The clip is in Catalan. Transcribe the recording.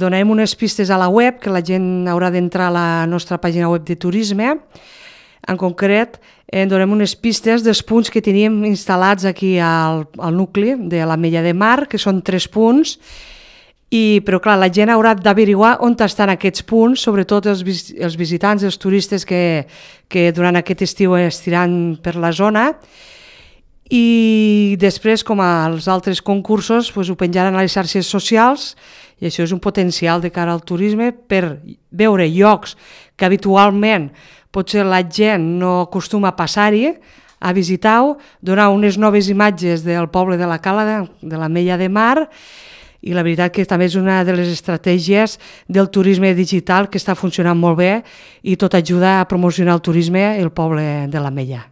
Donarem unes pistes a la web, que la gent haurà d'entrar a la nostra pàgina web de turisme. En concret, donem unes pistes dels punts que teníem instal·lats aquí al nucli de l'Ametlla de Mar, que són 3 punts, però clar, la gent haurà d'averiguar on estan aquests punts, sobretot els visitants, els turistes que durant aquest estiu estiran per la zona, i després, com als altres concursos, ho penjaran a les xarxes socials, i això és un potencial de cara al turisme per veure llocs que habitualment potser la gent no acostuma a passar-hi, a visitar-ho, donar unes noves imatges del poble de la Cala, de l'Ametlla de Mar, i la veritat que també és una de les estratègies del turisme digital que està funcionant molt bé i tot ajuda a promocionar el turisme al poble de l'Ametlla.